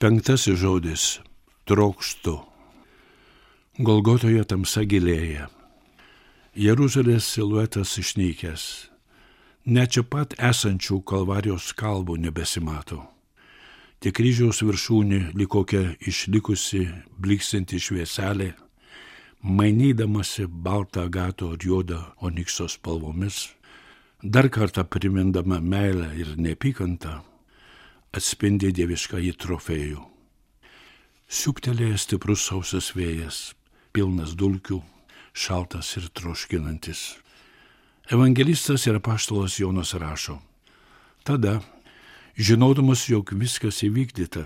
Penktasis žodis – trokštu. Golgotoje tamsa gilėja. Jeruzalės siluetas išnykęs. Net čia pat esančių Kalvarijos kalvų nebesimato. Tik kryžiaus viršūnė lyg kokia išlikusi, bliksinti švieselė, mainydamasi baltą agato ir juodą onikso spalvomis, dar kartą primindama meilę ir neapykantą, atspindi dieviškąjį trofėjų. Siūbtelėjęs stiprus sausas vėjas, pilnas dulkių, šaltas ir troškinantis. Evangelistas ir apaštalas Jonas rašo: tada, žinodamas, jog viskas įvykdyta,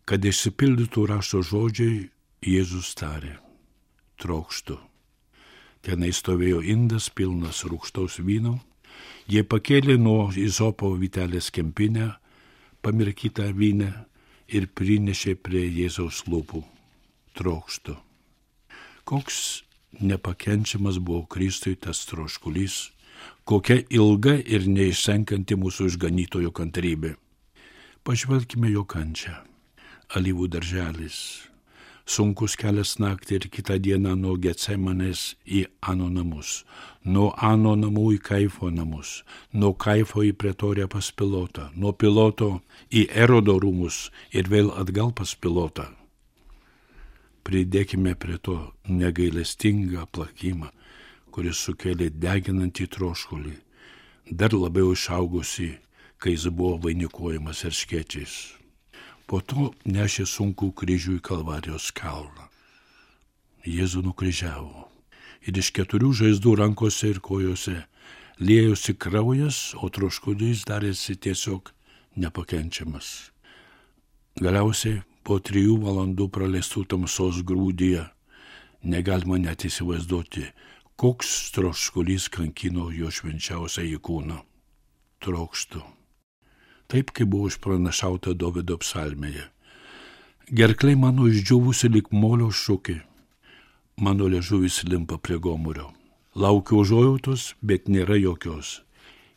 kad išsipildytų rašto žodžiai, Jėzus tarė: trokštu. Tenai stovėjo indas pilnas rūgštaus vyno, jie pakėlė nuo izopo vytelės kempinę, pamirkytą vyną ir prinešė prie Jėzaus lūpų. Trokštu. Koks nepakenčiamas buvo Kristui tas troškulys, kokia ilga ir neišsenkanti mūsų išganytojo kantrybė. Pažvelkime jo kančią. Alyvų darželis, sunkus kelias naktį ir kitą dieną nuo Getsemanės į Ano namus, nuo Ano namų į Kaifo namus, nuo Kaifo į Pretoriją pas Pilotą, nuo Piloto į Erodo rūmus ir vėl atgal pas Pilotą. Pridėkime prie to negailestingą plakimą, kuris sukėlė deginantį troškulį, dar labiau išaugusi, kai jis buvo vainikuojamas erškėčiais. Po to nešė sunkų kryžių į Kalvarijos kalną. Jėzų nukryžiavo ir iš 4 žaizdų rankose ir kojose liejosi kraujas, o troškulys darėsi tiesiog nepakenčiamas. Galiausiai po 3 valandų praleistų tamsos grūdyje negalima net įsivaizduoti, koks troškulys kankino jo švenčiausiąjį kūną. Trokštu. Taip, kaip buvo išpranašauta Dovydo psalmėje. Gerklai mano išdžiūvusi lyg molio šukė, mano liežuvis limpa prie gomurio. Laukiu užuojautos, bet nėra jokios.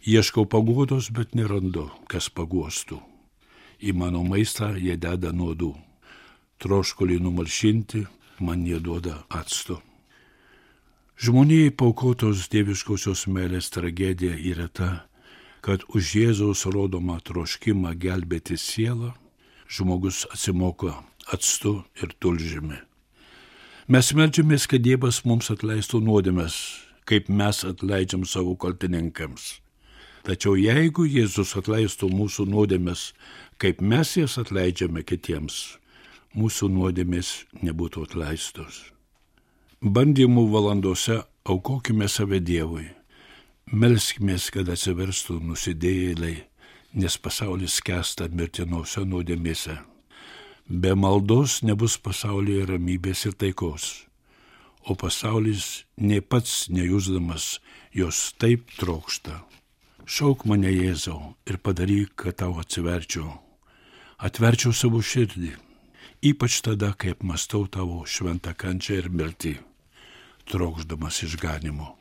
Ieškau paguodos, bet nerandu, kas paguostų. Į mano maistą jie deda nuodų. Troškulį numalšinti, man jie duoda acto. Žmonijai paukotos dieviškosios meilės tragedija yra ta, kad už Jėzaus rodomą troškimą gelbėti sielą žmogus atsimoka actu ir tulžimi. Mes meldžiamės, kad Dievas mums atleistų nuodėmes, kaip mes atleidžiam savo kaltininkams. Tačiau jeigu Jėzus atleistų mūsų nuodėmes, kaip mes jas atleidžiame kitiems, mūsų nuodėmės nebūtų atleistos. Bandymų valandose aukokime save Dievui. Melskimės, kad atsiverstų nusidėjėliai, nes pasaulis skęsta mirtinose nuodėmėse. Be maldos nebus pasaulyje ramybės ir taikos, o pasaulis nei pats nejusdamas jos taip trokšta. Šauk mane, Jėzau, ir padaryk, kad tau atsiverčiau. Atverčiau savo širdį, ypač tada, kai apmastau tavo šventą kančią ir mirtį, trokšdamas išganimo.